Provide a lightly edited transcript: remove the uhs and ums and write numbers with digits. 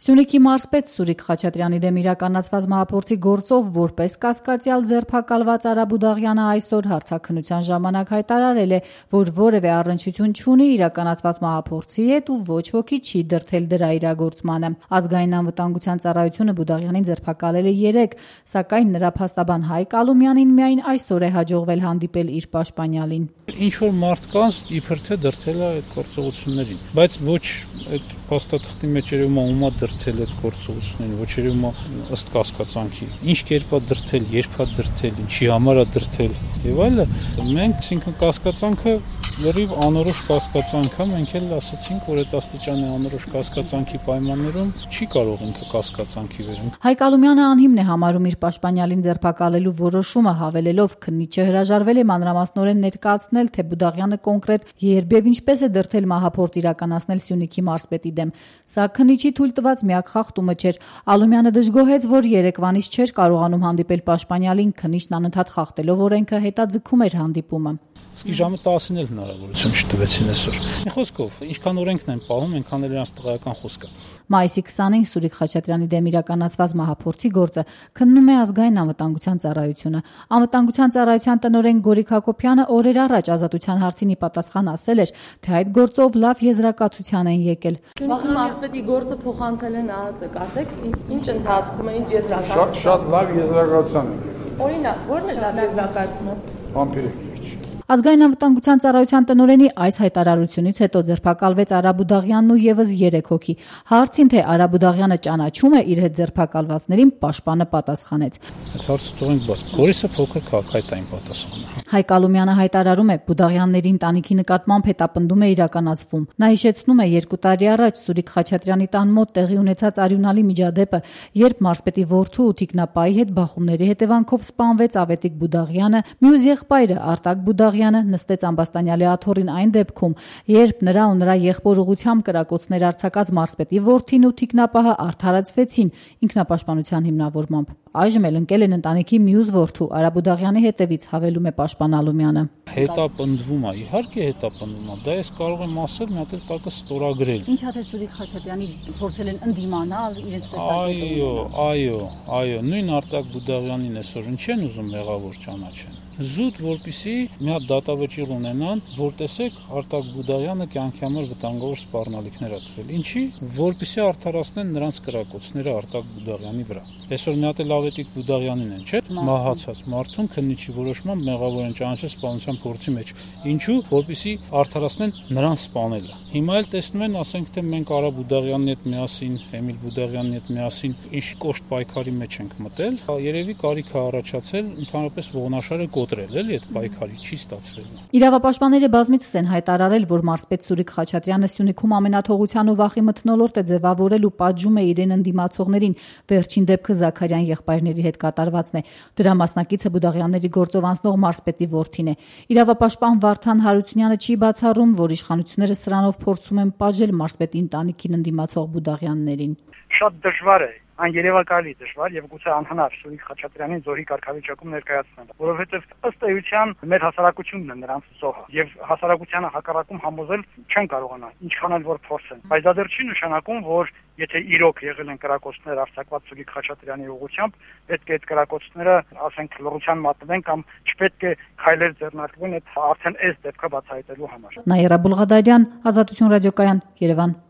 Սյունիքի մարզպետ Սուրիկ Խաչատրյանի դեմ իրականացված մահափորձի գործով որպես կասկածյալ ձերբակալված Արա Բուդաղյանը այսօր հարցաքննության ժամանակ հայտարարել է, որ որևէ առնչություն չունի իրականացված մահափորձի հետ ու ոչ ոքի չի դրդել դրա իրագործմանը։ Ազգային անվտանգության ծառայությունը Բուդաղյանին ձերբակալել է 3, սակայն նրա փաստաբան Հայկ Ալումյանին միայն այսօր է հաջողվել հանդիպել իր պաշտպանյալին։ Ինչ որ մարդկանց իբր թե դրդել է այդ գործողություններին, բայց ոչ այդ փաստաթղթի մեջ երևում է ումա դրդել այդ գործողություններին, ոչ երևում է ըստ կասկածանքի։ Ինչ կերպ է դրդել, երբ է դրդել, ինչի համար է դրդել եւ այլը։ Մենք, այսինքն կասկածանքը լրիվ անորոշ կասկածանք է, մենք էլ ասացինք, որ այդ աստիճանի անորոշ կասկածանքի պայմաններում չի կարող ինքը կասկածանքի վերել։ Հայկ Ալումյանը անհիմն է համարում իր պաշտպանյալին ձերբակալելու որոշումը, հավելելով, քննիչը հրաժարվել է մանրամասնորեն ներկայացնել, թե Բուդաղյանը կոնկրետ երբ եւ ինչպես է դրդել մահափորձ իրականացնել Սյունիքի մարզպետի դեմ։ Սա քննիչի թույլ տված միակ խախտումը չէր։ Ալումյանը դժգոհեց, որ երեկվանից չէր կարողանում հանդիպել պաշտպանյալին, քննիչն անընդհատ խախտելով օրենքը հետաձգում էր հանդիպումը։ Իսկ ժամը 10-ին էլ հնարավորություն չտվեցին այսօր։ Մի խոսքով, ինչքան օրենքն են պահում, այնքան էլ իրանց տղայական խոսքը։ Մայիսի 20-ին Սուրիկ Խաչատրյանի դեմ իրականացված մահափորձի գործը քննում է Ազգային անվտանգության ծառայությունը։ Անվտանգության ծառայության տնօրեն Գորիկ Հակոբյանը օրեր առաջ Ազատության հարցին ի պատասխան ասել էր, թե այդ գործով լավ եզրակացության են եկել։ Վաղ մարզպետի գործը փոխանցել են ԱԱԾ, ասեք, ինչ ընթացքում է, ինչ եզրակացություն։ Շատ լավ եզրակացության է։ Օրինակ, ո՞րն է լավ եզրակացությունը։ Համբերեք։ Ազգային անվտանգության ծառայության տնօրենի այս հայտարարությունից հետո ձերբակալվեց Արա Բուդաղյանն ու եւս 3 հոգի։ Հարցին, թե Արա Բուդաղյանը ճանաչում է իր հետ ձերբակալվածներին, պաշտպանը պատասխանեց. Այդ հարցը թողենք բաց։ Գորիսը փոքր քաղաքայինային պատասխան է։ Հայկ Ալումյանը հայտարարում է, Բուդաղյանների ընտանիքի նկատմամբ հետապնդում է իրականացվում։ Նա հիշեցնում է 2 տարի առաջ Սուրիկ Խաչատրյանի տան մոտ տեղի ունեցած արյունալի միջադեպը, երբ մարզպետի որդու ու թիկնապայի հետ բախումների հետևանքով սպանվեց Ավետիք Բուդաղյանը, մյուս եղբայրը Արտակ Բուդաղյանը նստեց Ամբաստանյալի աթոռին այն դեպքում, երբ նրա ու նրա եղբոր ուղղությամբ կրակոցներ արձակած մարզպետի որդին ու թիկնապահը արդարացվեցին ինքնապաշտպանության հիմնավորմամբ։ Այժմ էլ ընկել են ընտանիքի մյուս որդու Արա Բուդաղյանի հետևից, հավելում է պաշտպան Ալումյանը։ Հետապնդվում է, իհարկե հետապնդվում է, դա ես կարող եմ ասել, մի հատ էլ տակը ստորագրել։ Ինչա թե Սուրիկ Խաչատրյանի փորձել են ընդդիմանալ իրենց տեսակետով։ Այո, նույն Արտակ Բուդաղյանին այսօր ինչ են ուզում մեղավոր ճանաչեն։ Զուտ որպեսի մի հատ դատավճիռ ունենան, որ տեսեք Արտակ Բուդաղյանը կյանքի համար վտանգավոր սպառնալիքներ ա տվել։ Ինչի, որպեսի արդարացնեն նրանց կրակոցները Արտակ Բուդաղյանի վրա։ Այսօր մի հատ էլ Ավետիք Բուդաղյանին են, չէ՞, մահացած մարդուն քննիչի որոշմամբ մեղավոր են ճանաչել սպանության փորձի մեջ։ Ինչու, որպեսի արդարացնեն նրան սպանելը։ Հիմա էլ տեսնում են, ասենք թե մենք Արա Բուդաղյանի հետ միասին, Էմիլ Բուդաղյանի հետ միասին ինչ կոշտ պայքարի մեջ ենք մտել, երևի կարիք է առաջացել ընդհանրապես ողնաշարը կոտրել, էլի այդ պայքարի չի ստացվել։ Իրավապաշտպանները բազմիցս են հայտարարել, որ մարզպետ Սուրիկ Խաչատրյանը Սյունիքում ամենաթողության ու վախի մթնոլորտ է ձևավորել ու պատժում է իրեն ընդդիմացողներին, վերջին դեպքը Զաքարյան եղբայրների հետ կատարվածն է։ Դրա մասնակիցը Բուդաղյանների գործով անցնող մարզպետի որդին է։ Իրավապաշտպան Վարդան Հարությունյանը չի բացառում, որ իշխանությունները սրանով փորձում են պատժել մարզպետի ընտանիքին ընդդիմացող Բուդաղյաններին։ Շատ դժվար է, աներևակայալի դժվար եւ գուցե անհնար Սուրիկ Խաչատրյանին զորի կարգավիճակում ներկայացնել, որովհետեւ ըստ էության մեր հասարակությունն է նրանց զոհը եւ հասարակությանը հակառակում համոզել չեն կարողանա, ինչքան էլ որ փորձեն։ Բայց դա դեռ չի նշանակում, որ եթե իրոք եղել են կրակոցներ արձակված Սուրիկ Խաչատրյանի ուղղությամբ, պետք է այդ կրակոցները, ասենք, լռության մատնվեն կամ չպետք է քայլեր ձեռնարկվեն այդ արդեն այս դեպքը բացահայտելու համար։ Նաիրա Բուլղադարյան, Ազատություն ռադիոկայան, Երևան։